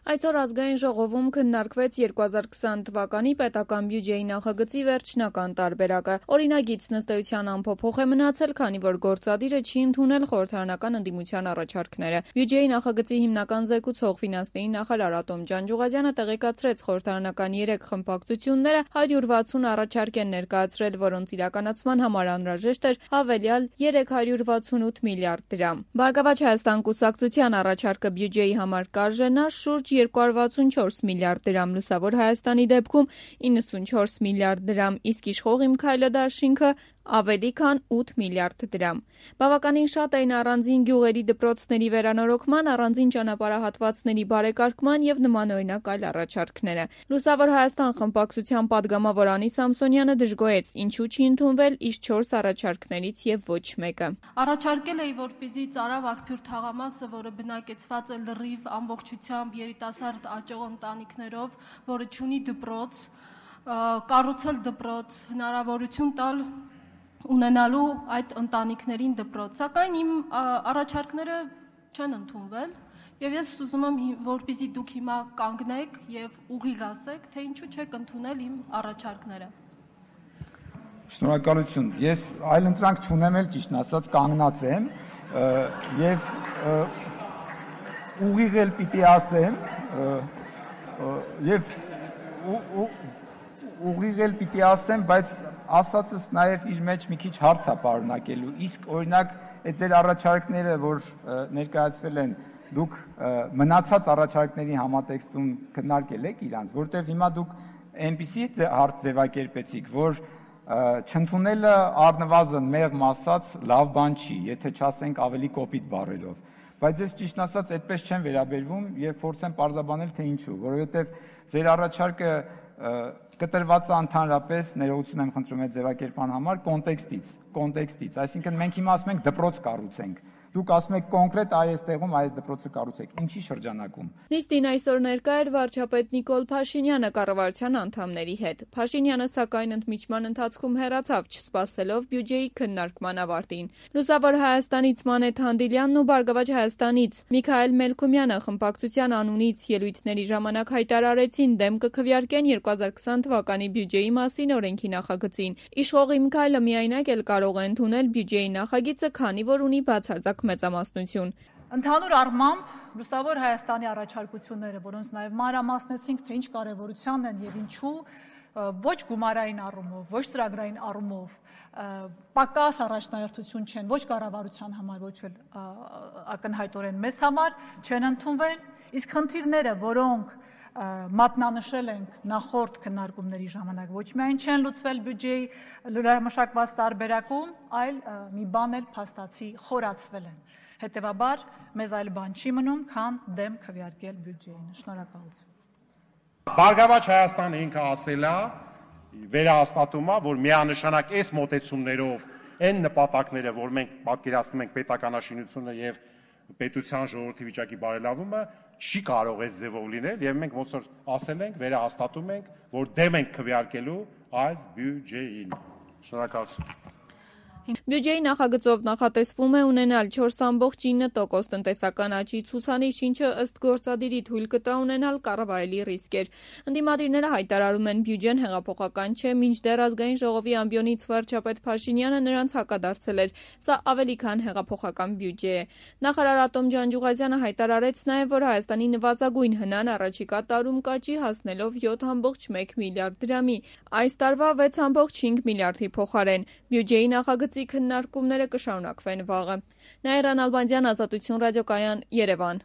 Այսօր ազգային ժողովում քննարկվեց 2020 թվականի պետական բյուջեի նախագծի վերջնական տարբերակը։ Օրինագիծն ըստ էության անփոփոխ է մնացել, քանի որ գործադիրը չի ընդունել խորհրդարանական ընդդիմության առաջարկները։ Բյուջեի նախագծի հիմնական զեկուցող ֆինանսների նախարար Ատոմ Ջանջուղազյանը տեղեկացրեց խորհրդարանական 3 խմբակցությունները 160 առաջարկ են ներկայացրել, որոնց իրականացման համար անհրաժեշտ էր հավելյալ 368 միլիարդ դրամ։ Բարգավաճ Հայաստան կուսակցության առաջարկը բյուջեի համար կարժենա շուրջ 264 միլիարդ դրամ, Լուսավոր Հայաստանի դեպքում 94 միլիարդ դրամ, իսկ իշխող Իմ քայլը դաշինքը ավելի քան 8 միլիարդ դրամ։ Բավականին շատ էին առանձին գյուղերի դպրոցների վերանորոգման, առանձին ճանապարհահատվածների բարեկարգման եւ նմանօրինակ այլ առաջարկները։ Լուսավոր Հայաստան խմբակցության падգամավոր Անի Սամսոնյանը դժգոհեց, ինչու չի ընդունվել իր 4 առաջարկներից եւ ոչ մեկը։ Առաջարկել էի, որպեսզի Ծարավ աղբյուր թաղամասը, որը բնակեցված է լրիվ ամբողջությամբ երիտասարդ աճող ընտանիքներով, որը չունի դպրոց, կառուցել դպրոց, հնարավորություն տալ ունենալու այդ ընտանիքներին դպրոց, սակայն իմ առաջարկները չեն ընդունվել եւ ես ուզում եմ, որպեսզի դուք հիմա կանգնեք եւ ուղիղ ասեք, թե ինչու չեք ընդունել իմ առաջարկները։ Շնորհակալություն։ Ես այլ ընտրանք չունեմ, էլ ճիշտ ասած կանգնած եմ եւ ուղիղ էլ պիտի ասեմ եւ ուղիղ էլ պիտի ասեմ, բայց ասածս նաև իր մեջ մի քիչ հարց է պարունակելու։ Իսկ օրինակ այդ ձեր առաջարկները, որ ներկայացվել են, դուք մնացած առաջարկների համատեքստում քննարկել եք իրանց, որտեղ հիմա դուք այնպիսի հարց ձևակերպեցիք, որ չընդունելը առնվազն մեղմ ասած լավ բան չի, եթե չասենք ավելի կոպիտ բառերով։ Բայց ես ճիշտ ասած այդպես չեմ վերաբերվում եւ փորձեմ պարզաբանել, թե ինչու, որովհետեւ ձեր առաջարկը կտրված է ընդհանրապես, ներողություն եմ խնդրում այդ ձևակերպման համար, կոնտեքստից, այսինքն մենք հիմա ասում ենք դպրոց կառուցենք, դուք ասում եք կոնկրետ այս տեղում այս դպրոցը կառուցեք, ինչի շրջանակում։ Նիստին այսօր ներկա էր վարչապետ Նիկոլ Փաշինյանը կառավարության անդամների հետ։ Փաշինյանը սակայն ընդմիջման ընթացքում հեռացավ, չսպասելով բյուջեի քննարկման ավարտին։ Լուսավոր Հայաստանից Մանեթ Հանդիլյանն ու Բարգավաճ Հայաստանից Միքայել Մելքումյանը խմբակցության անունից ելույթների ժամանակ հայտարարեցին դեմ կքվեարկեն 2020 թվականի բյուջեի մասին օրենքի նախագծին։ Իշխող Իմ քայլը միայնակ էլ կարող է ընդունել բյուջեի նախագիծը, քանի որ ունի բացարձակ մեծամասնություն։ Ընդհանուր առմամբ Լուսավոր Հայաստանի առաջարկությունները, որոնց նաև մանրամասնեցինք, թե ինչ կարևորության են եւ ինչու ոչ գումարային առումով, ոչ ծրագրային առումով պակաս առաջնահերթություն չեն ոչ կառավարության համար, ոչ էլ ակնհայտորեն մեզ համար չեն ընդունվել, իսկ խնդիրները, որոնք մատնանշել ենք նախորդ քննարկումների ժամանակ, ոչ միայն չեն լուծվել բյուջեի լրամշակված տարբերակում, այլ մի բան էլ փաստացի խորացվել են։ Հետևաբար մեզ այլ բան չի մնում, քան դեմ քվեարկել բյուջեին։ Շնորհակալություն։ Բարգավաճ Հայաստանը ինքը ասել է, վերահաստատում է, որ միանշանակ այս մոտեցումներով այն նպատակները, որ մենք պատկերացնում ենք պետականաշինությունը եւ պետության ժողովրդի վիճակի բարելավումը, չի կարող այս ձևով լինել եւ մենք ոնց որ ասել ենք, վերահաստատում ենք, որ դեմ ենք քվեարկելու այս բյուջեին։ Շնորհակալություն։ Բյուջեի նախագծով նախատեսվում է ունենալ 4.9% տնտեսական աճի ցուցանիշ, ինչը ըստ գործադիրի թույլ կտա ունենալ կառավարելի ռիսկեր։ Ընդդիմադիրները հայտարարում են բյուջեն հեղափոխական չէ, մինչդեռ ազգային ժողովի ամբիոնից վարչապետ Փաշինյանը նրանց հակադարձել էր։ Սա ավելի քան հեղափոխական բյուջե է։ Նախարար Ատոմ Ջանջուղազյանը հայտարարեց նաև, որ Հայաստանի նվազագույն հնան առաջիկա տարում կաճի հասնելով 7.1 միլիարդ դրամի, այս տարվա 6.5 միլիարդի փոխարեն։ Բյուջեի նախագծի քննարկումները կշարունակվեն վաղը։ Նաիրա Նալբանդյան, Ազատություն ռադիոկայան, Երևան։